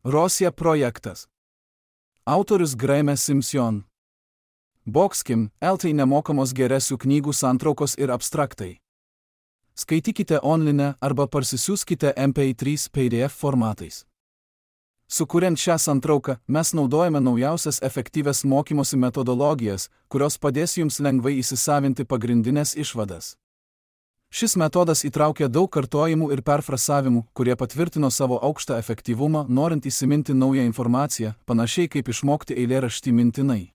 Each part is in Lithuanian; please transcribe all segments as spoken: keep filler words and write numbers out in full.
Rosija projektas. Autorius Graeme Simsion. Boxkim, eltai nemokamos geresių knygų santraukos ir abstraktai. Skaitykite online arba parsisiųskite M P trys P D F formatais. Sukuriant šią santrauką, mes naudojame naujausias efektyvias mokymosi metodologijas, kurios padės jums lengvai įsisavinti pagrindinės išvadas. Šis metodas įtraukia daug kartojimų ir perfrasavimų, kurie patvirtino savo aukštą efektyvumą, norint įsiminti naują informaciją, panašiai kaip išmokti eilėraštį mintinai.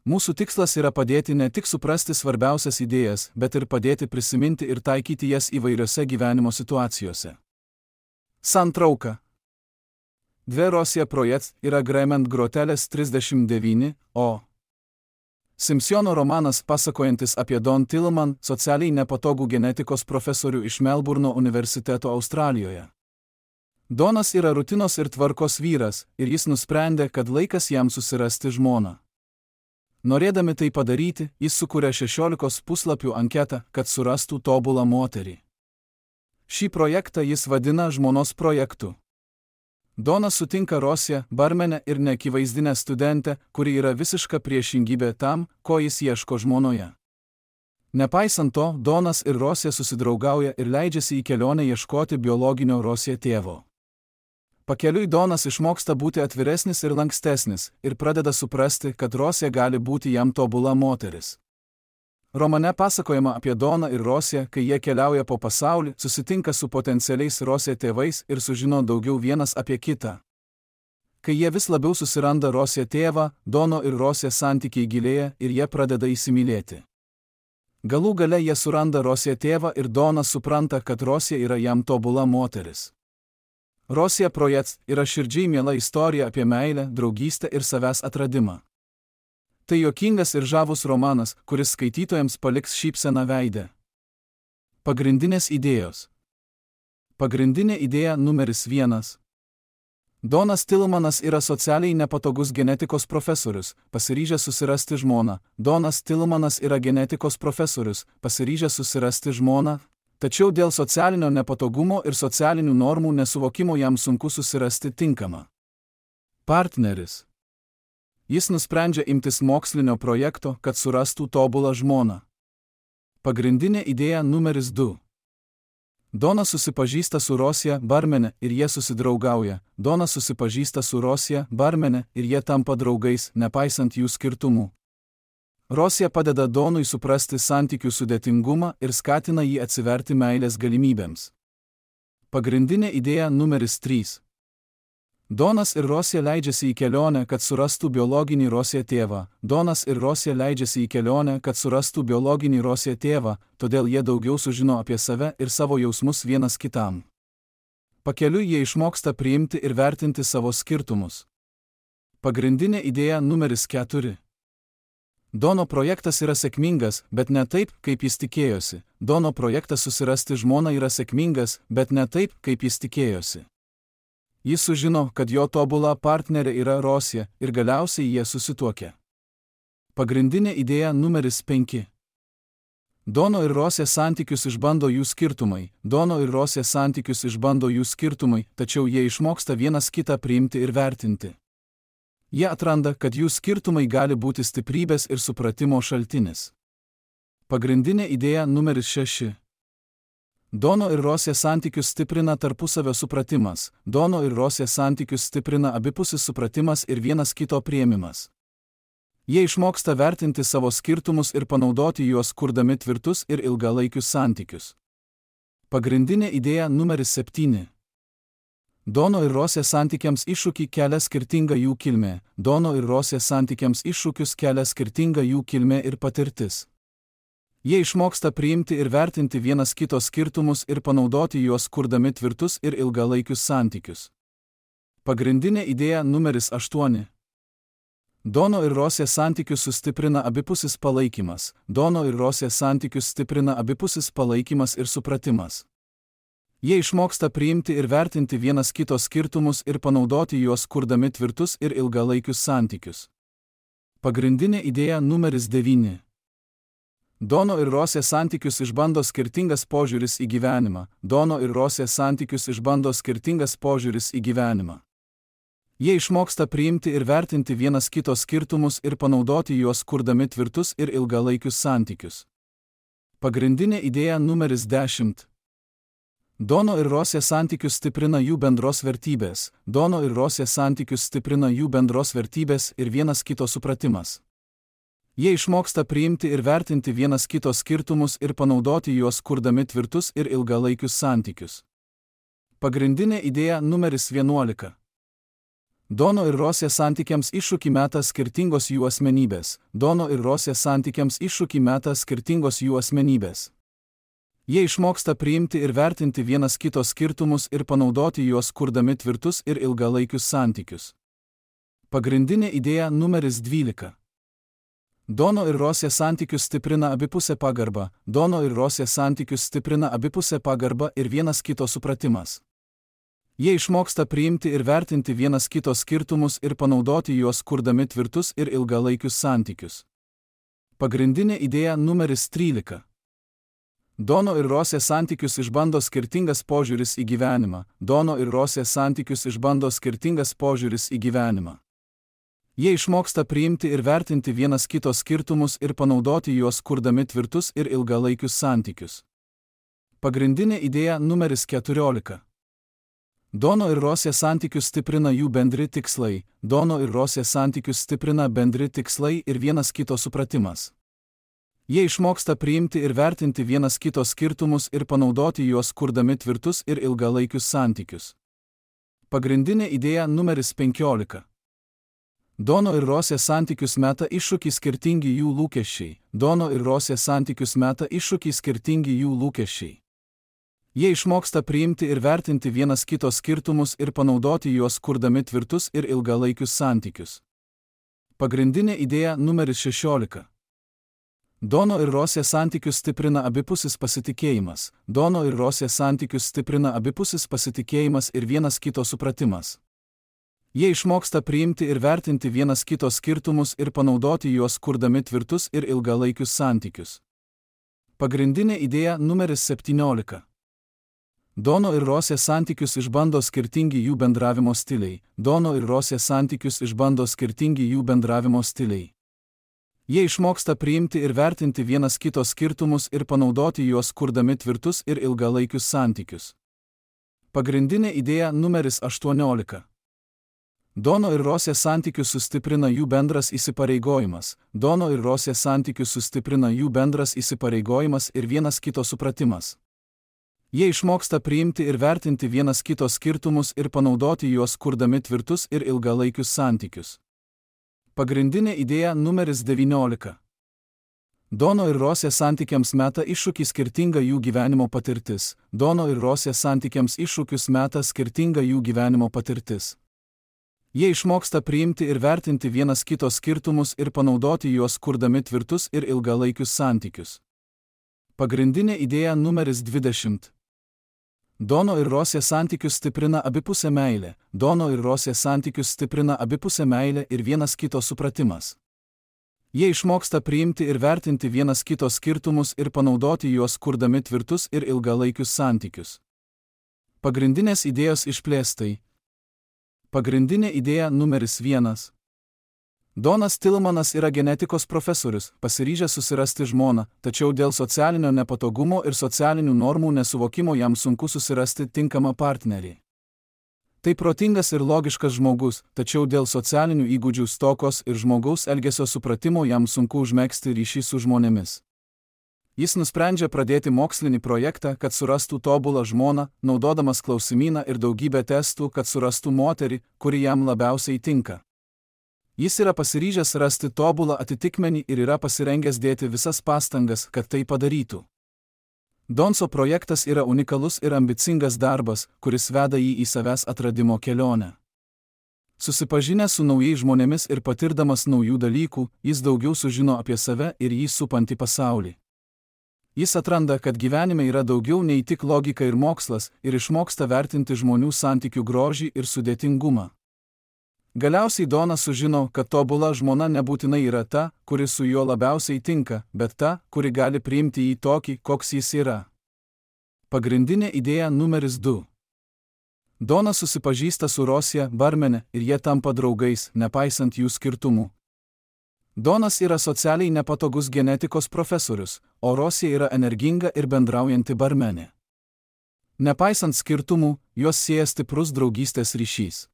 Mūsų tikslas yra padėti ne tik suprasti svarbiausias idėjas, bet ir padėti prisiminti ir taikyti jas įvairiose gyvenimo situacijose. Santrauka. Dvi Rosija projektas yra Graeme Grotelės trisdešimt devyni, o Simsiono romanas pasakojantis apie Don Tillman, socialiai nepatogų genetikos profesorių iš Melburno universiteto Australijoje. Donas yra rutinos ir tvarkos vyras, ir jis nusprendė, kad laikas jam susirasti žmoną. Norėdami tai padaryti, jis sukūrė šešiolikos puslapių anketą, kad surastų tobulą moterį. Šį projektą jis vadina žmonos projektu. Donas sutinka Rosiją, barmenę ir neakivaizdinę studentę, kuri yra visiška priešingybė tam, ko jis ieško žmonoje. Nepaisant to, Donas ir Rosija susidraugauja ir leidžiasi į kelionę ieškoti biologinio Rosija tėvo. Pakeliui Donas išmoksta būti atviresnis ir lankstesnis ir pradeda suprasti, kad Rosija gali būti jam tobula moteris. Romane pasakojama apie Doną ir Rosiją, kai jie keliauja po pasaulį, susitinka su potencialiais Rosija tėvais ir sužino daugiau vienas apie kitą. Kai jie vis labiau susiranda Rosija tėvą, Dono ir Rosija santykiai gilėja ir jie pradeda įsimylėti. Galų gale jie suranda Rosija tėvą ir Donas supranta, kad Rosija yra jam tobula moteris. Rosija projektas yra širdžiai miela istorija apie meilę, draugystę ir savęs atradimą. Tai juokingas ir žavus romanas, kuris skaitytojams paliks šypseną veidę. Pagrindinės idėjos. Pagrindinė idėja numeris vienas. Donas Tillmanas yra socialiai nepatogus genetikos profesorius, pasiryžęs susirasti žmoną. Donas Tillmanas yra genetikos profesorius, pasiryžęs susirasti žmoną, tačiau dėl socialinio nepatogumo ir socialinių normų nesuvokimo jam sunku susirasti tinkamą partneris. Jis nusprendžia imtis mokslinio projekto, kad surastų tobulą žmoną. Pagrindinė idėja numeris du. Donas susipažįsta su Rosija, barmenė, ir jie susidraugauja. Donas susipažįsta su Rosija, barmenė, ir jie tampa draugais, nepaisant jų skirtumų. Rosija padeda Donui suprasti santykių sudėtingumą ir skatina jį atsiverti meilės galimybėms. Pagrindinė idėja numeris trys. Donas ir Rosija leidžiasi į kelionę, kad surastų biologinį Rosija tėvą. Donas ir Rosija leidžiasi į kelionę, kad surastų biologinį Rosija tėvą, todėl jie daugiau sužino apie save ir savo jausmus vienas kitam. Pakeliui jie išmoksta priimti ir vertinti savo skirtumus. Pagrindinė idėja numeris keturi. Dono projektas yra sėkmingas, bet ne taip, kaip jis tikėjosi. Dono projektas susirasti žmoną yra sėkmingas, bet ne taip, kaip jis tikėjosi. Jis sužino, kad jo tobula partnerė yra Rosija ir galiausiai jie susituokia. Pagrindinė idėja numeris penki. Dono ir Rosija santykius išbando jų skirtumai. Dono ir Rosija santykius išbando jų skirtumai, tačiau jie išmoksta vienas kitą priimti ir vertinti. Jie atranda, kad jų skirtumai gali būti stiprybės ir supratimo šaltinis. Pagrindinė idėja numeris šeši. Dono ir Rosija santykius stiprina tarpusavio supratimas. Dono ir Rosija santykius stiprina abipusis supratimas ir vienas kito priėmimas. Jie išmoksta vertinti savo skirtumus ir panaudoti juos kurdami tvirtus ir ilgalaikius santykius. Pagrindinė idėja numeris septyni. Dono ir Rosija santykiams iššūkį kelia skirtinga jų kilmė. Dono ir Rosija santykiams iššūkius kelia skirtinga jų kilmė ir patirtis. Jie išmoksta priimti ir vertinti vienas kito skirtumus ir panaudoti juos kurdami tvirtus ir ilgalaikius santykius. Pagrindinė idėja numeris aštuoni. Dono ir Rosija santykius sustiprina abipusis palaikymas. Dono ir Rosija santykius stiprina abipusis palaikymas ir supratimas. Jie išmoksta priimti ir vertinti vienas kito skirtumus ir panaudoti juos kurdami tvirtus ir ilgalaikius santykius. Pagrindinė idėja numeris devyni. Dono ir Rosija santykius išbando skirtingas požiūris į gyvenimą. Dono ir Rosija santykius išbando skirtingas požiūris į gyvenimą. Jie išmoksta priimti ir vertinti vienas kito skirtumus ir panaudoti juos kurdami tvirtus ir ilgalaikius santykius. Pagrindinė idėja numeris dešimt. Dono ir Rosė santykius stiprina jų bendros vertybės. Dono ir Rosė santykius stiprina jų bendros vertybės ir vienas kito supratimas. Jie išmoksta priimti ir vertinti vienas kito skirtumus ir panaudoti juos kurdami tvirtus ir ilgalaikius santykius. Pagrindinė idėja numeris vienuolika. Dono ir Rosė santykiams iššūkį meta skirtingos jų asmenybės. Dono ir Rosė santykiams iššūkį meta skirtingos jų asmenybės. Jie išmoksta priimti ir vertinti vienas kito skirtumus ir panaudoti juos kurdami tvirtus ir ilgalaikius santykius. Pagrindinė idėja numeris dvylika. Dono ir Rosė santykius stiprina abipusė pagarba. Dono ir Rosė santykius stiprina abipusė pagarba ir vienas kito supratimas. Jie išmoksta priimti ir vertinti vienas kito skirtumus ir panaudoti juos kurdami tvirtus ir ilgalaikius santykius. Pagrindinė idėja numeris trylika. Dono ir Rosė santykius išbando skirtingas požiūris į gyvenimą. Dono ir Rosė santykius išbando skirtingas požiūris į gyvenimą. Jie išmoksta priimti ir vertinti vienas kito skirtumus ir panaudoti juos kurdami tvirtus ir ilgalaikius santykius. Pagrindinė idėja numeris keturiolika. Dono ir Rosė santykius stiprina jų bendri tikslai. Dono ir Rosė santykius stiprina bendri tikslai ir vienas kito supratimas. Jie išmoksta priimti ir vertinti vienas kito skirtumus ir panaudoti juos kurdami tvirtus ir ilgalaikius santykius. Pagrindinė idėja numeris penkiolika. Dono ir Rosė santykius meta iššūkį skirtingi jų lūkesčiai. Dono ir Rosė santykius meta iššūkį skirtingi jų lūkesčiai. Jie išmoksta priimti ir vertinti vienas kito skirtumus ir panaudoti juos kurdami tvirtus ir ilgalaikius santykius. Pagrindinė idėja numeris šešiolika. Dono ir Rosė santykius stiprina abipusis pasitikėjimas. Dono ir Rosė santykius stiprina abipusis pasitikėjimas ir vienas kito supratimas. Jie išmoksta priimti ir vertinti vienas kito skirtumus ir panaudoti juos kurdami tvirtus ir ilgalaikius santykius. Pagrindinė idėja numeris septyniolika. Dono ir Rosė santykius išbando skirtingi jų bendravimo stiliai. Dono ir Rosė santykius išbando skirtingi jų bendravimo stiliai. Jie išmoksta priimti ir vertinti vienas kito skirtumus ir panaudoti juos kurdami tvirtus ir ilgalaikius santykius. Pagrindinė idėja numeris aštuoniolika. Dono ir Rosė santykius sustiprina jų bendras įsipareigojimas. Dono ir Rosė santykius sustiprina jų bendras įsipareigojimas ir vienas kito supratimas. Jie išmoksta priimti ir vertinti vienas kito skirtumus ir panaudoti juos kurdami tvirtus ir ilgalaikius santykius. Pagrindinė idėja numeris devyniolika. Dono ir Rosė santykiams meta iššūkį skirtinga jų gyvenimo patirtis. Dono ir Rosė santykiams iššūkius meta skirtinga jų gyvenimo patirtis. Jie išmoksta priimti ir vertinti vienas kito skirtumus ir panaudoti juos kurdami tvirtus ir ilgalaikius santykius. Pagrindinė idėja numeris dvidešimt. Dono ir Rosė santykius stiprina abipusė meilė. Dono ir Rosė santykius stiprina abipusė meilė ir vienas kito supratimas. Jie išmoksta priimti ir vertinti vienas kito skirtumus ir panaudoti juos kurdami tvirtus ir ilgalaikius santykius. Pagrindinės idėjos išplėstai. Pagrindinė idėja numeris vienas. Donas Tilmanas yra genetikos profesorius, pasiryžęs susirasti žmoną, tačiau dėl socialinio nepatogumo ir socialinių normų nesuvokimo jam sunku susirasti tinkamą partnerį. Tai protingas ir logiškas žmogus, tačiau dėl socialinių įgūdžių stokos ir žmogaus elgesio supratimo jam sunku užmegzti ryšį su žmonėmis. Jis nusprendžia pradėti mokslinį projektą, kad surastų tobulą žmoną, naudodamas klausimyną ir daugybę testų, kad surastų moterį, kuri jam labiausiai tinka. Jis yra pasiryžęs rasti tobulą atitikmenį ir yra pasirengęs dėti visas pastangas, kad tai padarytų. Donso projektas yra unikalus ir ambicingas darbas, kuris veda jį į savęs atradimo kelionę. Susipažinęs su naujais žmonėmis ir patirdamas naujų dalykų, jis daugiau sužino apie save ir jį supantį pasaulį. Jis atranda, kad gyvenime yra daugiau nei tik logika ir mokslas, ir išmoksta vertinti žmonių santykių grožį ir sudėtingumą. Galiausiai Donas sužino, kad tobula žmona nebūtinai yra ta, kuri su juo labiausiai tinka, bet ta, kuri gali priimti jį tokį, koks jis yra. Pagrindinė idėja numeris du. Donas susipažįsta su Rosija, barmene, ir jie tampa draugais, nepaisant jų skirtumų. Donas yra socialiai nepatogus genetikos profesorius, o Rosija yra energinga ir bendraujanti barmenė. Nepaisant skirtumų, juos sieja stiprus draugystės ryšys.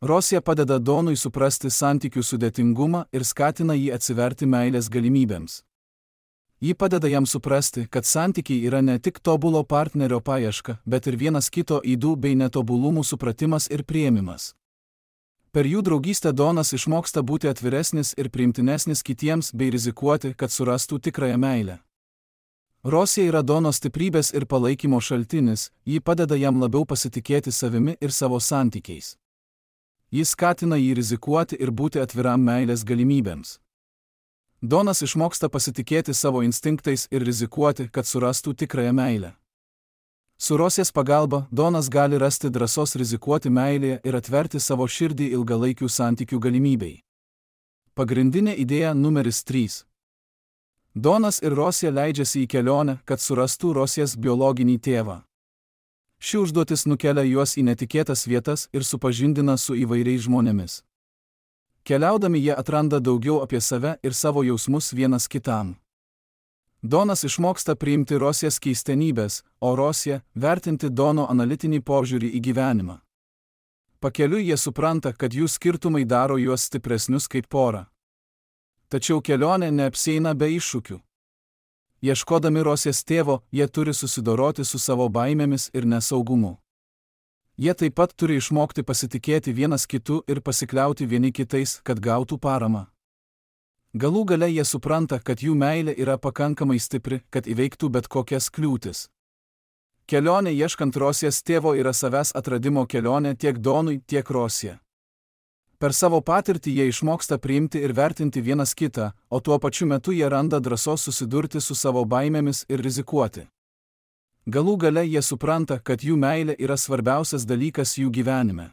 Rosija padeda Donui suprasti santykių sudėtingumą ir skatina jį atsiverti meilės galimybėms. Ji padeda jam suprasti, kad santykiai yra ne tik tobulo partnerio paieška, bet ir vienas kito ydų bei netobulumų supratimas ir priėmimas. Per jų draugystę Donas išmoksta būti atviresnis ir priimtinesnis kitiems bei rizikuoti, kad surastų tikrąją meilę. Rosija yra Dono stiprybės ir palaikymo šaltinis, ji padeda jam labiau pasitikėti savimi ir savo santykiais. Jis skatina jį rizikuoti ir būti atviram meilės galimybėms. Donas išmoksta pasitikėti savo instinktais ir rizikuoti, kad surastų tikrąją meilę. Su Rosijos pagalba Donas gali rasti drąsos rizikuoti meilėje ir atverti savo širdį ilgalaikių santykių galimybei. Pagrindinė idėja numeris trys. Donas ir Rosija leidžiasi į kelionę, kad surastų Rosijos biologinį tėvą. Ši užduotis nukelia juos į netikėtas vietas ir supažindina su įvairiais žmonėmis. Keliaudami jie atranda daugiau apie save ir savo jausmus vienas kitam. Donas išmoksta priimti Rosijos keistenybės, o Rosija vertinti Dono analitinį požiūrį į gyvenimą. Pakeliui jie supranta, kad jų skirtumai daro juos stipresnius kaip porą. Tačiau kelionė neapsieina be iššūkių. Ieškodami Rosijos tėvo, jie turi susidoroti su savo baimėmis ir nesaugumu. Jie taip pat turi išmokti pasitikėti vienas kitu ir pasikliauti vieni kitais, kad gautų paramą. Galų gale jie supranta, kad jų meilė yra pakankamai stipri, kad įveiktų bet kokias kliūtis. Kelionė ieškant Rosijos tėvo yra savęs atradimo kelionė tiek Donui, tiek Rosija. Per savo patirtį jie išmoksta priimti ir vertinti vienas kitą, o tuo pačiu metu jie randa drąsos susidurti su savo baimėmis ir rizikuoti. Galų gale jie supranta, kad jų meilė yra svarbiausias dalykas jų gyvenime.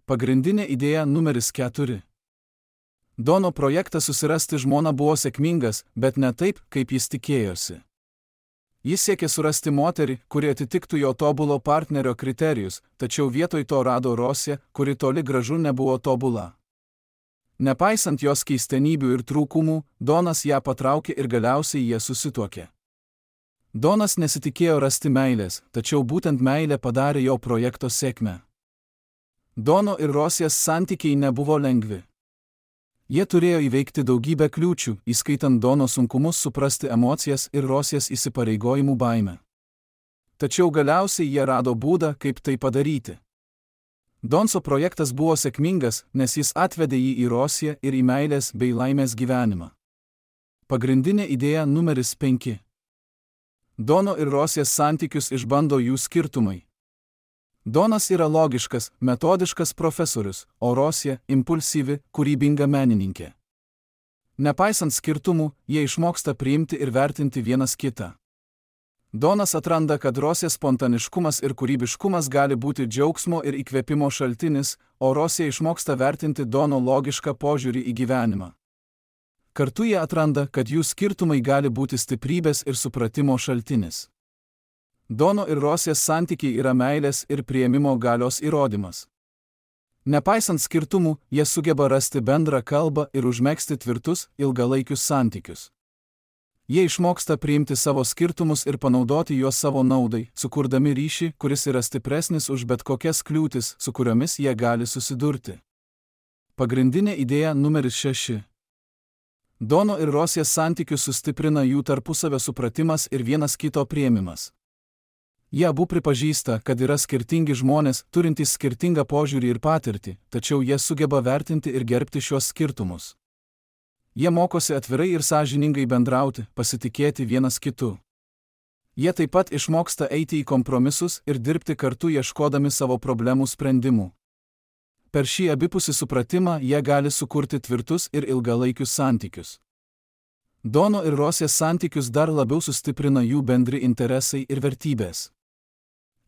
Pagrindinė idėja numeris keturi. Dono projektas susirasti žmoną buvo sėkmingas, bet ne taip, kaip jis tikėjosi. Jis siekė surasti moterį, kuri atitiktų jo tobulo partnerio kriterijus, tačiau vietoj to rado Rosiją, kuri toli gražu nebuvo tobula. Nepaisant jos keistenybių ir trūkumų, Donas ją patraukė ir galiausiai jie susituokė. Donas nesitikėjo rasti meilės, tačiau būtent meilė padarė jo projekto sėkmę. Dono ir Rosijos santykiai nebuvo lengvi. Jie turėjo įveikti daugybę kliūčių, įskaitant Dono sunkumus suprasti emocijas ir Rosijos įsipareigojimų baimę. Tačiau galiausiai jie rado būdą, kaip tai padaryti. Donso projektas buvo sėkmingas, nes jis atvedė jį į Rosiją ir į meilės bei laimės gyvenimą. Pagrindinė idėja numeris penki. Dono ir Rosijos santykius išbando jų skirtumai. Donas yra logiškas, metodiškas profesorius, o Rosija – impulsyvi, kūrybinga menininkė. Nepaisant skirtumų, jie išmoksta priimti ir vertinti vienas kitą. Donas atranda, kad Rosijos spontaniškumas ir kūrybiškumas gali būti džiaugsmo ir įkvėpimo šaltinis, o Rosija išmoksta vertinti Dono logišką požiūrį į gyvenimą. Kartu jie atranda, kad jų skirtumai gali būti stiprybės ir supratimo šaltinis. Dono ir Rosijos santykiai yra meilės ir priėmimo galios įrodymas. Nepaisant skirtumų, jie sugeba rasti bendrą kalbą ir užmegzti tvirtus, ilgalaikius santykius. Jie išmoksta priimti savo skirtumus ir panaudoti juos savo naudai, sukurdami ryšį, kuris yra stipresnis už bet kokias kliūtis, su kuriomis jie gali susidurti. Pagrindinė idėja numeris šeši. Dono ir Rosijos santykius sustiprina jų tarpusavio supratimas ir vienas kito priėmimas. Jie abu pripažįsta, kad yra skirtingi žmonės, turintys skirtingą požiūrį ir patirtį, tačiau jie sugeba vertinti ir gerbti šios skirtumus. Jie mokosi atvirai ir sąžiningai bendrauti, pasitikėti vienas kitu. Jie taip pat išmoksta eiti į kompromisus ir dirbti kartu ieškodami savo problemų sprendimų. Per šį abipusį supratimą jie gali sukurti tvirtus ir ilgalaikius santykius. Dono ir Rosijos santykius dar labiau sustiprina jų bendri interesai ir vertybės.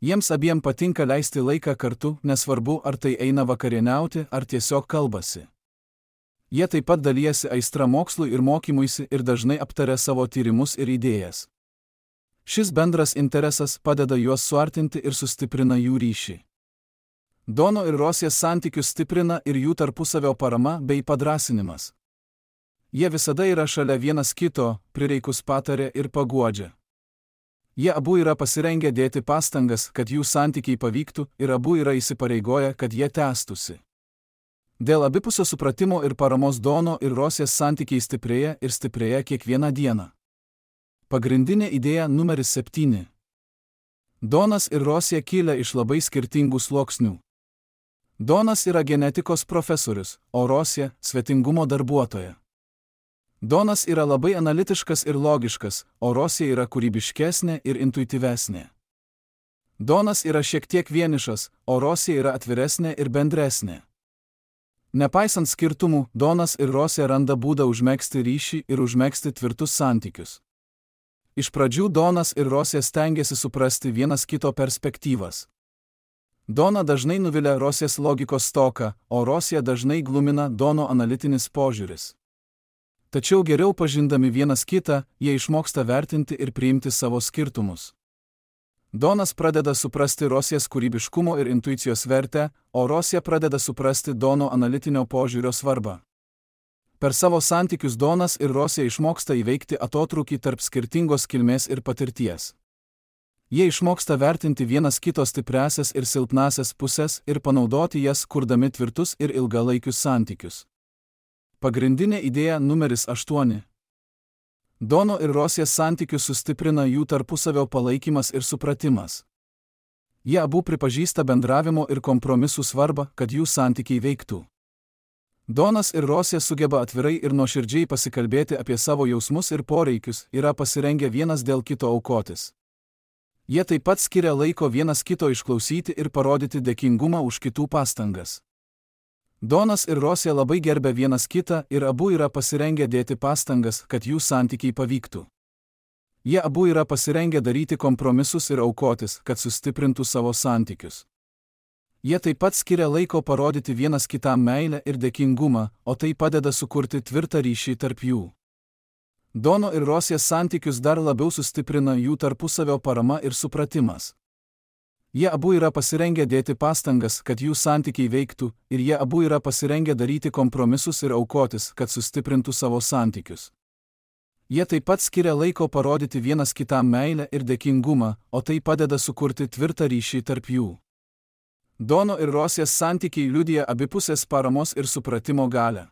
Jiems abiem patinka leisti laiką kartu, nesvarbu, ar tai eina vakarieniauti, ar tiesiog kalbasi. Jie taip pat dalijasi aistra mokslui ir mokymuisi ir dažnai aptaria savo tyrimus ir idėjas. Šis bendras interesas padeda juos suartinti ir sustiprina jų ryšį. Dono ir Rosės santykius stiprina ir jų tarpusavio parama bei padrąsinimas. Jie visada yra šalia vienas kito, prireikus patarė ir paguodžia. Jie abu yra pasirengę dėti pastangas, kad jų santykiai pavyktų, ir abu yra įsipareigoję, kad jie tęstųsi. Dėl abipusio supratimo ir paramos Dono ir Rosės santykiai stiprėja ir stiprėja kiekvieną dieną. Pagrindinė idėja numeris septyni. Donas ir Rosė kilę iš labai skirtingų sluoksnių. Donas yra genetikos profesorius, o Rosė – svetingumo darbuotoja. Donas yra labai analitiškas ir logiškas, o Rosė yra kūrybiškesnė ir intuityvesnė. Donas yra šiek tiek vienišas, o Rosė yra atviresnė ir bendresnė. Nepaisant skirtumų, Donas ir Rosė randa būdą užmegzti ryšį ir užmegzti tvirtus santykius. Iš pradžių Donas ir Rosė stengiasi suprasti vienas kito perspektyvas. Dona dažnai nuvilia Rosės logikos stoką, o Rosė dažnai glumina Dono analitinis požiūris. Tačiau geriau pažindami vienas kitą, jie išmoksta vertinti ir priimti savo skirtumus. Donas pradeda suprasti Rosės kūrybiškumo ir intuicijos vertę, o Rosė pradeda suprasti Dono analitinio požiūrio svarbą. Per savo santykius Donas ir Rosė išmoksta įveikti atotrūkį tarp skirtingos kilmės ir patirties. Jie išmoksta vertinti vienas kito stipriasias ir silpnasias pusės ir panaudoti jas, kurdami tvirtus ir ilgalaikius santykius. Pagrindinė idėja numeris aštuoni. Dono ir Rosės santykius sustiprina jų tarpusavio palaikymas ir supratimas. Jie abu pripažįsta bendravimo ir kompromisų svarbą, kad jų santykiai veiktų. Donas ir Rosė sugeba atvirai ir nuoširdžiai pasikalbėti apie savo jausmus ir poreikius, yra pasirengę vienas dėl kito aukotis. Jie taip pat skiria laiko vienas kito išklausyti ir parodyti dėkingumą už kitų pastangas. Donas ir Rosė labai gerbia vienas kitą ir abu yra pasirengę dėti pastangas, kad jų santykiai pavyktų. Jie abu yra pasirengę daryti kompromisus ir aukotis, kad sustiprintų savo santykius. Jie taip pat skiria laiko parodyti vienas kitam meilę ir dėkingumą, o tai padeda sukurti tvirtą ryšį tarp jų. Dono ir Rosės santykius dar labiau sustiprina jų tarpusavio parama ir supratimas. Jie abu yra pasirengę dėti pastangas, kad jų santykiai veiktų, ir jie abu yra pasirengę daryti kompromisus ir aukotis, kad sustiprintų savo santykius. Jie taip pat skiria laiko parodyti vienas kitam meilę ir dėkingumą, o tai padeda sukurti tvirtą ryšį tarp jų. Dono ir Rosės santykiai liudija abipusės paramos ir supratimo galią.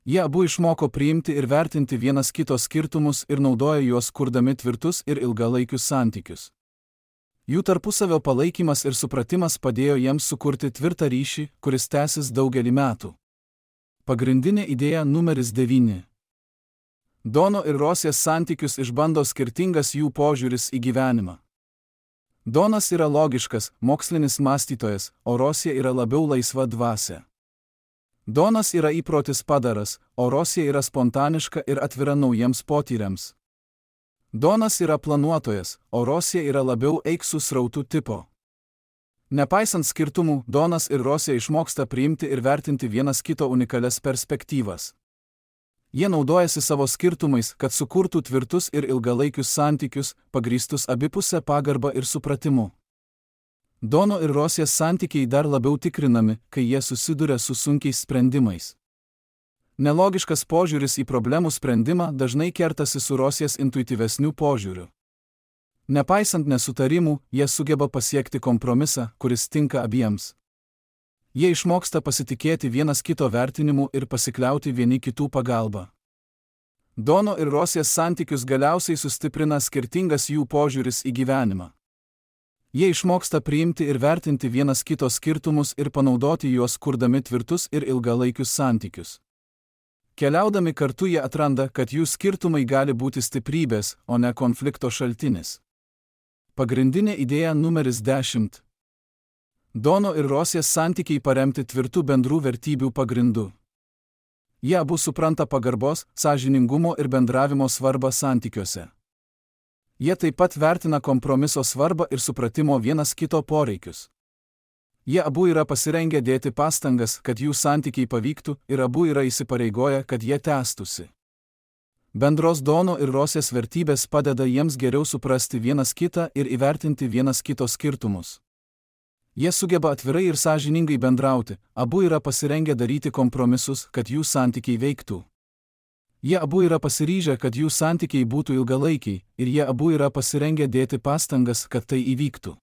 Jie abu išmoko priimti ir vertinti vienas kito skirtumus ir naudoja juos kurdami tvirtus ir ilgalaikius santykius. Jų tarpusavio palaikymas ir supratimas padėjo jiems sukurti tvirtą ryšį, kuris tęsis daugelį metų. Pagrindinė idėja numeris devyni. Dono ir Rosės santykius išbando skirtingas jų požiūris į gyvenimą. Donas yra logiškas, mokslinis mąstytojas, o Rosė yra labiau laisva dvasia. Donas yra įprotis padaras, o Rosė yra spontaniška ir atvira naujiems potyriams. Donas yra planuotojas, o Rosė yra labiau eik su srautu tipo. Nepaisant skirtumų, Donas ir Rosė išmoksta priimti ir vertinti vienas kito unikalias perspektyvas. Jie naudojasi savo skirtumais, kad sukurtų tvirtus ir ilgalaikius santykius, pagrįstus abipusę pagarbą ir supratimu. Dono ir Rosės santykiai dar labiau tikrinami, kai jie susiduria su sunkiais sprendimais. Nelogiškas požiūris į problemų sprendimą dažnai kertasi su Rosės intuityvesniu požiūriu. Nepaisant nesutarimų, jie sugeba pasiekti kompromisą, kuris tinka abiems. Jie išmoksta pasitikėti vienas kito vertinimu ir pasikliauti vieni kitų pagalba. Dono ir Rosės santykius galiausiai sustiprina skirtingas jų požiūris į gyvenimą. Jie išmoksta priimti ir vertinti vienas kito skirtumus ir panaudoti juos kurdami tvirtus ir ilgalaikius santykius. Keliaudami kartu jie atranda, kad jų skirtumai gali būti stiprybės, o ne konflikto šaltinis. Pagrindinė idėja numeris dešimt. Dono ir Rosės santykiai paremti tvirtų bendrų vertybių pagrindu. Jie abu supranta pagarbos, sąžiningumo ir bendravimo svarbą santykiuose. Jie taip pat vertina kompromiso svarbą ir supratimo vienas kito poreikius. Jie abu yra pasirengę dėti pastangas, kad jų santykiai pavyktų, ir abu yra įsipareigoję, kad jie tęstųsi. Bendros Dono ir Rosės vertybės padeda jiems geriau suprasti vienas kitą ir įvertinti vienas kito skirtumus. Jie sugeba atvirai ir sąžiningai bendrauti, abu yra pasirengę daryti kompromisus, kad jų santykiai veiktų. Jie abu yra pasiryžę, kad jų santykiai būtų ilgalaikiai, ir jie abu yra pasirengę dėti pastangas, kad tai įvyktų.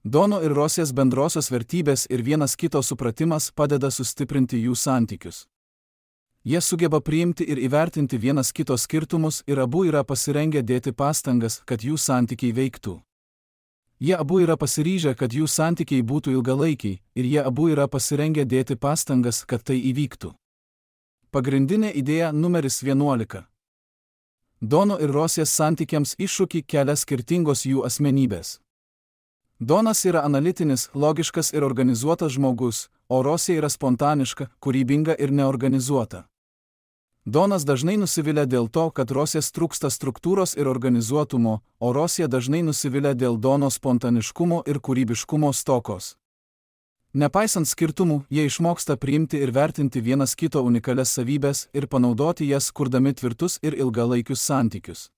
Dono ir Rosės bendrosios vertybės ir vienas kito supratimas padeda sustiprinti jų santykius. Jie sugeba priimti ir įvertinti vienas kito skirtumus ir abu yra pasirengę dėti pastangas, kad jų santykiai veiktų. Jie abu yra pasiryžę, kad jų santykiai būtų ilgalaikiai, ir jie abu yra pasirengę dėti pastangas, kad tai įvyktų. Pagrindinė idėja numeris vienuolika. Dono ir Rosės santykiams iššūkį kelia skirtingos jų asmenybės. Donas yra analitinis, logiškas ir organizuotas žmogus, o Rosė yra spontaniška, kūrybinga ir neorganizuota. Donas dažnai nusivilia dėl to, kad Rosės trūksta struktūros ir organizuotumo, o Rosė dažnai nusivilia dėl Dono spontaniškumo ir kūrybiškumo stokos. Nepaisant skirtumų, jie išmoksta priimti ir vertinti vienas kito unikalias savybės ir panaudoti jas, kurdami tvirtus ir ilgalaikius santykius.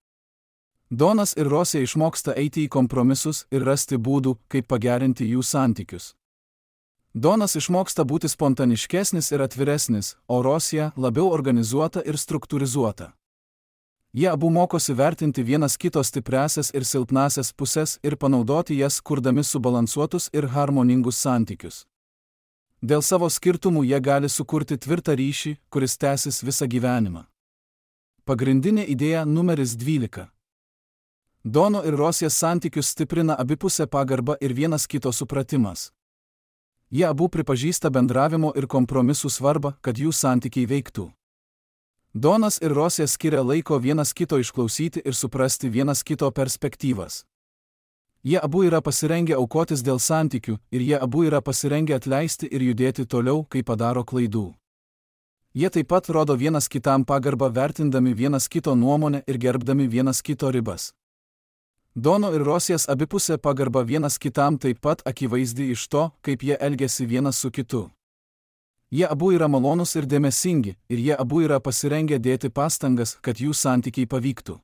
Donas ir Rosė išmoksta eiti į kompromisus ir rasti būdų, kaip pagerinti jų santykius. Donas išmoksta būti spontaniškesnis ir atviresnis, o Rosė labiau organizuota ir struktūrizuota. Jie abu mokosi vertinti vienas kito stipriąsias ir silpnąsias pusės ir panaudoti jas, kurdami subalansuotus ir harmoningus santykius. Dėl savo skirtumų jie gali sukurti tvirtą ryšį, kuris tęsis visą gyvenimą. Pagrindinė idėja numeris dvylika. Dono ir Rosės santykius stiprina abipusė pagarba ir vienas kito supratimas. Jie abu pripažįsta bendravimo ir kompromisų svarbą, kad jų santykiai veiktų. Donas ir Rosė skiria laiko vienas kito išklausyti ir suprasti vienas kito perspektyvas. Jie abu yra pasirengę aukotis dėl santykių ir jie abu yra pasirengę atleisti ir judėti toliau, kai padaro klaidų. Jie taip pat rodo vienas kitam pagarbą, vertindami vienas kito nuomonę ir gerbdami vienas kito ribas. Dono ir Rosės abipusė pagarba vienas kitam taip pat akivaizdi iš to, kaip jie elgiasi vienas su kitu. Jie abu yra malonūs ir dėmesingi, ir jie abu yra pasirengę dėti pastangas, kad jų santykiai pavyktų.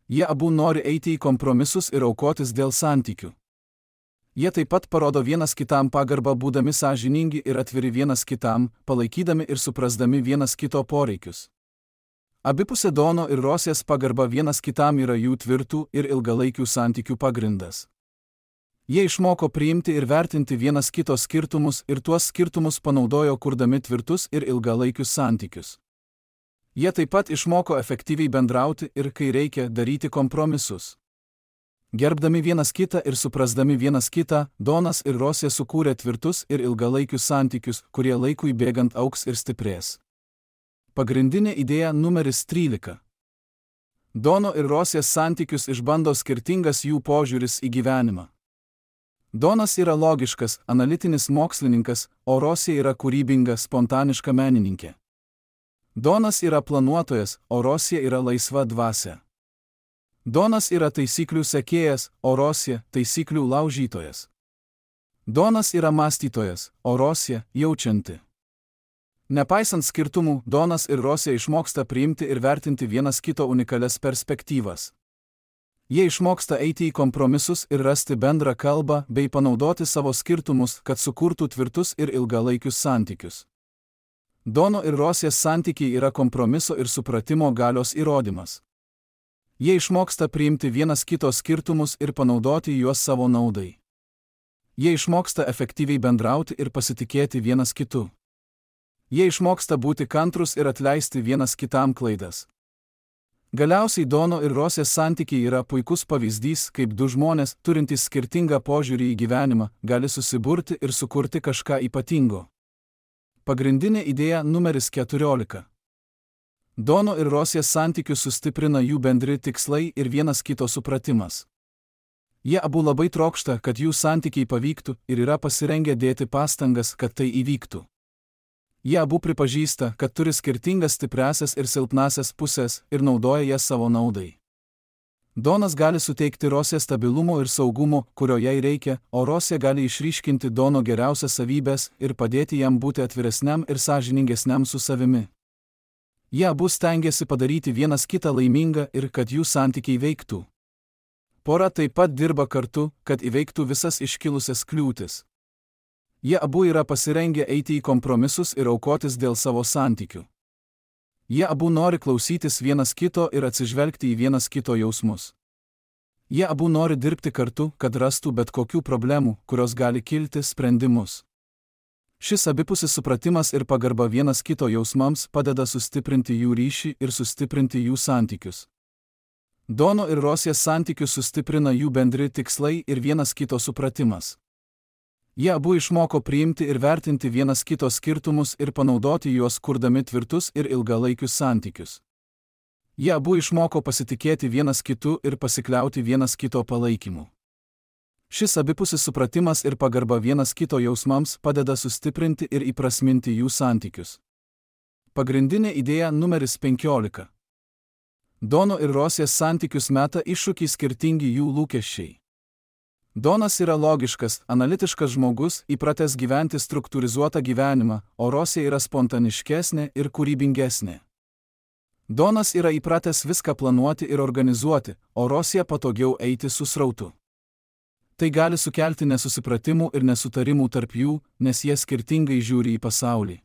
Jie abu nori eiti į kompromisus ir aukotis dėl santykių. Jie taip pat parodo vienas kitam pagarbą, būdami sąžiningi ir atviri vienas kitam, palaikydami ir suprasdami vienas kito poreikius. Abipusė Dono ir Rosės pagarba vienas kitam yra jų tvirtų ir ilgalaikių santykių pagrindas. Jie išmoko priimti ir vertinti vienas kito skirtumus ir tuos skirtumus panaudojo, kurdami tvirtus ir ilgalaikius santykius. Jie taip pat išmoko efektyviai bendrauti ir, kai reikia, daryti kompromisus. Gerbdami vienas kitą ir suprasdami vienas kitą, Donas ir Rosė sukūrė tvirtus ir ilgalaikius santykius, kurie laikui bėgant augs ir stiprės. Pagrindinė idėja numeris trylika. Dono ir Rosės santykius išbando skirtingas jų požiūris į gyvenimą. Donas yra logiškas, analitinis mokslininkas, o Rosė yra kūrybinga, spontaniška menininkė. Donas yra planuotojas, o Rosė yra laisva dvasia. Donas yra taisyklių sekėjas, o Rosė taisyklių laužytojas. Donas yra mąstytojas, o Rosė jaučianti. Nepaisant skirtumų, Donas ir Rosė išmoksta priimti ir vertinti vienas kito unikalias perspektyvas. Jie išmoksta eiti į kompromisus ir rasti bendrą kalbą bei panaudoti savo skirtumus, kad sukurtų tvirtus ir ilgalaikius santykius. Dono ir Rosės santykiai yra kompromiso ir supratimo galios įrodymas. Jie išmoksta priimti vienas kito skirtumus ir panaudoti juos savo naudai. Jie išmoksta efektyviai bendrauti ir pasitikėti vienas kitu. Jie išmoksta būti kantrus ir atleisti vienas kitam klaidas. Galiausiai Dono ir Rosės santykiai yra puikus pavyzdys, kaip du žmonės, turintys skirtingą požiūrį į gyvenimą, gali susiburti ir sukurti kažką ypatingo. Pagrindinė idėja numeris keturiolika. Dono ir Rosės santykius sustiprina jų bendri tikslai ir vienas kito supratimas. Jie abu labai trokšta, kad jų santykiai pavyktų ir yra pasirengę dėti pastangas, kad tai įvyktų. Jie abu pripažįsta, kad turi skirtingas stipriąsias ir silpnąsias pusės ir naudoja jas savo naudai. Donas gali suteikti Rosė stabilumo ir saugumo, kurio jai reikia, o Rosė gali išryškinti Dono geriausias savybės ir padėti jam būti atviresniam ir sąžiningesniam su savimi. Jie abu stengiasi padaryti vienas kitą laimingą ir kad jų santykiai veiktų. Pora taip pat dirba kartu, kad įveiktų visas iškilusias kliūtis. Jie abu yra pasirengę eiti į kompromisus ir aukotis dėl savo santykių. Jie abu nori klausytis vienas kito ir atsižvelgti į vienas kito jausmus. Jie abu nori dirbti kartu, kad rastų bet kokių problemų, kurios gali kilti, sprendimus. Šis abipusis supratimas ir pagarba vienas kito jausmams padeda sustiprinti jų ryšį ir sustiprinti jų santykius. Dono ir Rosės santykius sustiprina jų bendri tikslai ir vienas kito supratimas. Jie abu išmoko priimti ir vertinti vienas kito skirtumus ir panaudoti juos kurdami tvirtus ir ilgalaikius santykius. Jie abu išmoko pasitikėti vienas kitu ir pasikliauti vienas kito palaikymu. Šis abipusis supratimas ir pagarba vienas kito jausmams padeda sustiprinti ir įprasminti jų santykius. Pagrindinė idėja numeris penkiolika. Dono ir Rosės santykius meta iššūkį skirtingi jų lūkesčiai. Donas yra logiškas, analitiškas žmogus, įpratęs gyventi struktūrizuotą gyvenimą, o Rosė yra spontaniškesnė ir kūrybingesnė. Donas yra įpratęs viską planuoti ir organizuoti, o Rosė patogiau eiti su srautu. Tai gali sukelti nesusipratimų ir nesutarimų tarp jų, nes jie skirtingai žiūri į pasaulį.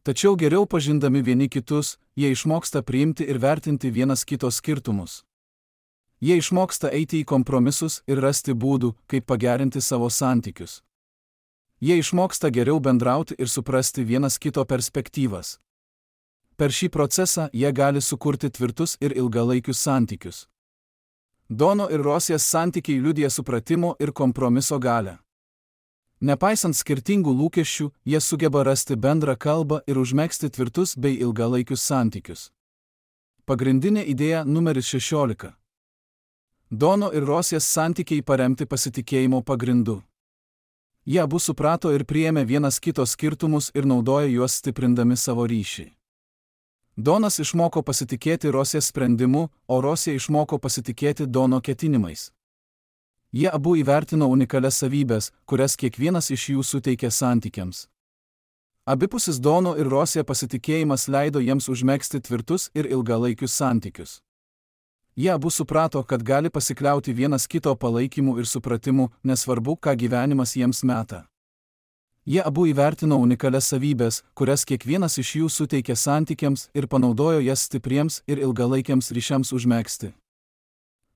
Tačiau geriau pažindami vieni kitus, jie išmoksta priimti ir vertinti vienas kito skirtumus. Jie išmoksta eiti į kompromisus ir rasti būdų, kaip pagerinti savo santykius. Jie išmoksta geriau bendrauti ir suprasti vienas kito perspektyvas. Per šį procesą jie gali sukurti tvirtus ir ilgalaikius santykius. Dono ir Rosės santykiai liudija supratimo ir kompromiso galią. Nepaisant skirtingų lūkesčių, jie sugeba rasti bendrą kalbą ir užmegzti tvirtus bei ilgalaikius santykius. Pagrindinė idėja numeris šešiolika. Dono ir Rosės santykiai paremti pasitikėjimo pagrindu. Jie abu suprato ir priėmė vienas kito skirtumus ir naudoja juos stiprindami savo ryšį. Donas išmoko pasitikėti Rosės sprendimu, o Rosė išmoko pasitikėti Dono ketinimais. Jie abu įvertino unikalias savybės, kurias kiekvienas iš jų suteikė santykiams. Abipusis Dono ir Rosė pasitikėjimas leido jiems užmegzti tvirtus ir ilgalaikius santykius. Jie abu suprato, kad gali pasikliauti vienas kito palaikymu ir supratimu, nesvarbu, ką gyvenimas jiems meta. Jie abu įvertino unikalias savybės, kurias kiekvienas iš jų suteikė santykiams ir panaudojo jas stipriems ir ilgalaikiams ryšiams užmegzti.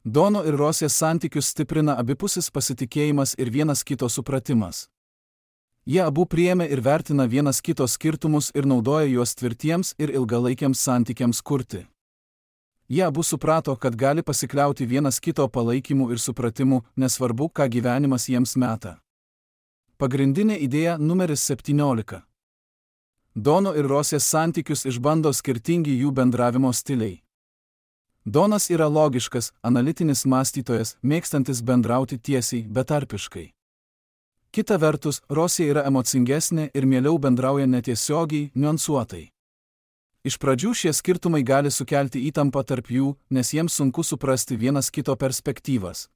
Dono ir Rosės santykius stiprina abipusis pasitikėjimas ir vienas kito supratimas. Jie abu priėmė ir vertina vienas kito skirtumus ir naudoja juos tvirtiems ir ilgalaikiams santykiams kurti. Jie abu suprato, kad gali pasikliauti vienas kito palaikymu ir supratimu, nesvarbu, ką gyvenimas jiems meta. Pagrindinė idėja numeris septyniolika. Dono ir Rosės santykius išbando skirtingi jų bendravimo stiliai. Donas yra logiškas, analitinis mąstytojas, mėgstantis bendrauti tiesiai, betarpiškai. Kita vertus, Rosė yra emocingesnė ir mieliau bendrauja netiesiogiai, niuansuotai. Iš pradžių šie skirtumai gali sukelti įtampą tarp jų, nes jiems sunku suprasti vienas kito perspektyvas.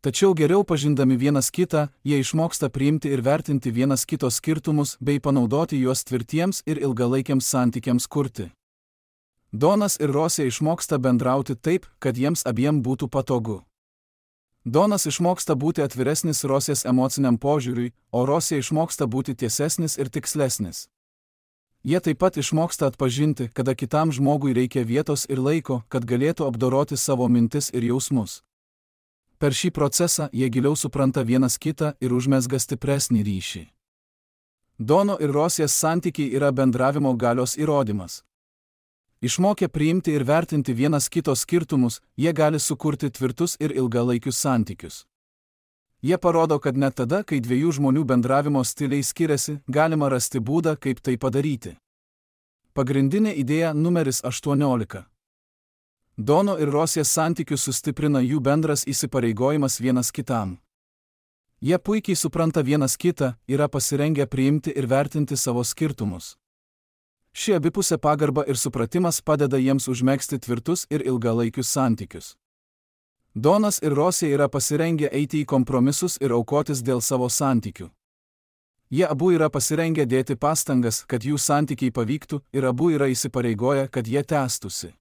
Tačiau geriau pažindami vienas kitą, jie išmoksta priimti ir vertinti vienas kito skirtumus bei panaudoti juos tvirtiems ir ilgalaikiams santykiams kurti. Donas ir Rosė išmoksta bendrauti taip, kad jiems abiem būtų patogu. Donas išmoksta būti atviresnis Rosės emociniam požiūriui, o Rosė išmoksta būti tiesesnis ir tikslesnis. Jie taip pat išmoksta atpažinti, kada kitam žmogui reikia vietos ir laiko, kad galėtų apdoroti savo mintis ir jausmus. Per šį procesą jie giliau supranta vienas kitą ir užmezga stipresnį ryšį. Dono ir Rosės santykiai yra bendravimo galios įrodymas. Išmokę priimti ir vertinti vienas kito skirtumus, jie gali sukurti tvirtus ir ilgalaikius santykius. Jie parodo, kad net tada, kai dviejų žmonių bendravimo stiliai skiriasi, galima rasti būdą, kaip tai padaryti. Pagrindinė idėja numeris aštuoniolika. Dono ir Rosės santykius sustiprina jų bendras įsipareigojimas vienas kitam. Jie puikiai supranta vienas kitą, yra pasirengę priimti ir vertinti savo skirtumus. Ši abipusė pagarba ir supratimas padeda jiems užmegzti tvirtus ir ilgalaikius santykius. Donas ir Rosė yra pasirengę eiti į kompromisus ir aukotis dėl savo santykių. Jie abu yra pasirengę dėti pastangas, kad jų santykiai pavyktų, ir abu yra įsipareigoję, kad jie tęstųsi.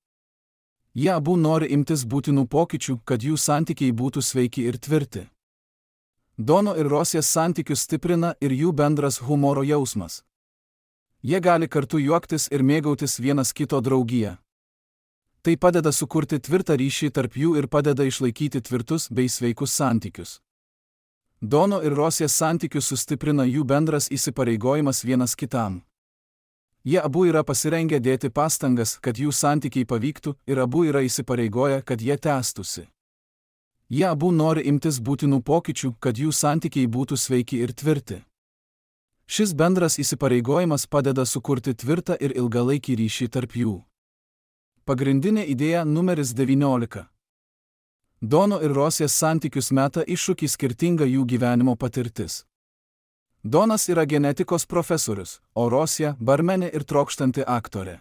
Jie abu nori imtis būtinų pokyčių, kad jų santykiai būtų sveiki ir tvirti. Dono ir Rosės santykius stiprina ir jų bendras humoro jausmas. Jie gali kartu juoktis ir mėgautis vienas kito draugiją. Tai padeda sukurti tvirtą ryšį tarp jų ir padeda išlaikyti tvirtus bei sveikus santykius. Dono ir Rosės santykius sustiprina jų bendras įsipareigojimas vienas kitam. Jie abu yra pasirengę dėti pastangas, kad jų santykiai pavyktų, ir abu yra įsipareigoję, kad jie tęstųsi. Jie abu nori imtis būtinų pokyčių, kad jų santykiai būtų sveiki ir tvirti. Šis bendras įsipareigojimas padeda sukurti tvirtą ir ilgalaikį ryšį tarp jų. Pagrindinė idėja numeris devyniolika. Dono ir Rosės santykius meta iššūkį skirtinga jų gyvenimo patirtis. Donas yra genetikos profesorius, o Rosė – barmenė ir trokštanti aktorė.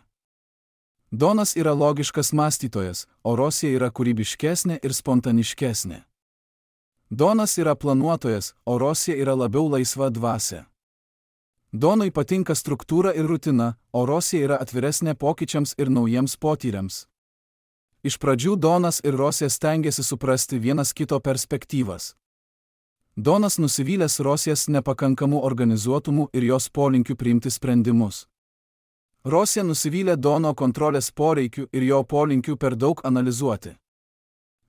Donas yra logiškas mąstytojas, o Rosė yra kūrybiškesnė ir spontaniškesnė. Donas yra planuotojas, o Rosė yra labiau laisva dvasia. Donui patinka struktūra ir rutina, o Rosė yra atviresnė pokyčiams ir naujiems potyriams. Iš pradžių Donas ir Rosė stengiasi suprasti vienas kito perspektyvas. Donas nusivylęs Rosės nepakankamu organizuotumu ir jos polinkiu priimti sprendimus. Rosė nusivylė Dono kontrolės poreikiu ir jo polinkiu per daug analizuoti.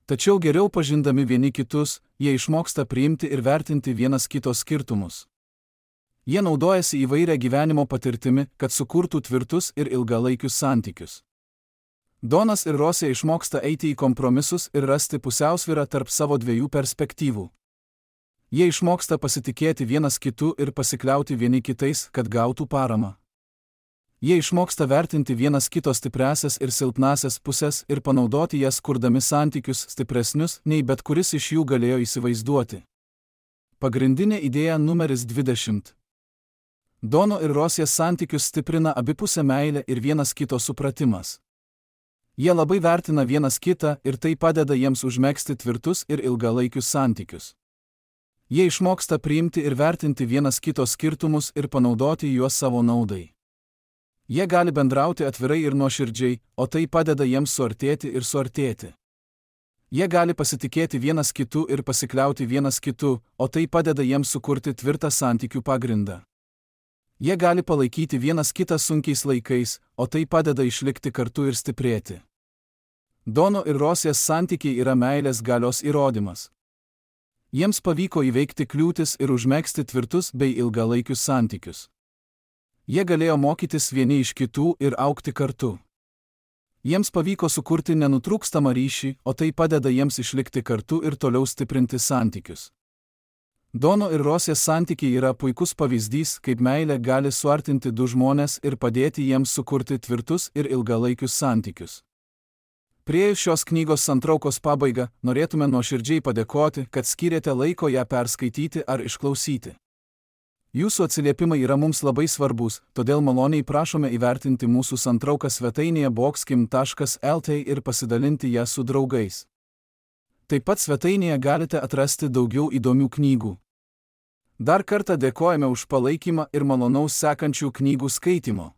Tačiau geriau pažindami vieni kitus, jie išmoksta priimti ir vertinti vienas kito skirtumus. Jie naudojasi įvairią gyvenimo patirtimi, kad sukurtų tvirtus ir ilgalaikius santykius. Donas ir Rosė išmoksta eiti į kompromisus ir rasti pusiausvyrą tarp savo dviejų perspektyvų. Jie išmoksta pasitikėti vienas kitu ir pasikliauti vieni kitais, kad gautų paramą. Jie išmoksta vertinti vienas kito stipriasias ir silpnasias pusės ir panaudoti jas kurdami santykius stipresnius, nei bet kuris iš jų galėjo įsivaizduoti. Pagrindinė idėja numeris dvidešimt. Dono ir Rosės santykius stiprina abipusė meilė ir vienas kito supratimas. Jie labai vertina vienas kitą ir tai padeda jiems užmegzti tvirtus ir ilgalaikius santykius. Jie išmoksta priimti ir vertinti vienas kito skirtumus ir panaudoti juos savo naudai. Jie gali bendrauti atvirai ir nuoširdžiai, o tai padeda jiems suartėti ir suartėti. Jie gali pasitikėti vienas kitu ir pasikliauti vienas kitu, o tai padeda jiems sukurti tvirtą santykių pagrindą. Jie gali palaikyti vienas kitą sunkiais laikais, o tai padeda išlikti kartu ir stiprėti. Dono ir Rosės santykiai yra meilės galios įrodymas. Jiems pavyko įveikti kliūtis ir užmegzti tvirtus bei ilgalaikius santykius. Jie galėjo mokytis vieni iš kitų ir augti kartu. Jiems pavyko sukurti nenutrūkstamą ryšį, o tai padeda jiems išlikti kartu ir toliau stiprinti santykius. Dono ir Rosės santykiai yra puikus pavyzdys, kaip meilė gali suartinti du žmones ir padėti jiems sukurti tvirtus ir ilgalaikius santykius. Priėjus šios knygos santraukos pabaigą, norėtume nuoširdžiai padėkoti, kad skyrėte laiko ją perskaityti ar išklausyti. Jūsų atsiliepimai yra mums labai svarbus, todėl maloniai prašome įvertinti mūsų santrauką svetainėje boxkim taškas el t ir pasidalinti ją su draugais. Taip pat svetainėje galite atrasti daugiau įdomių knygų. Dar kartą dėkojame už palaikymą ir malonaus sekančių knygų skaitimo.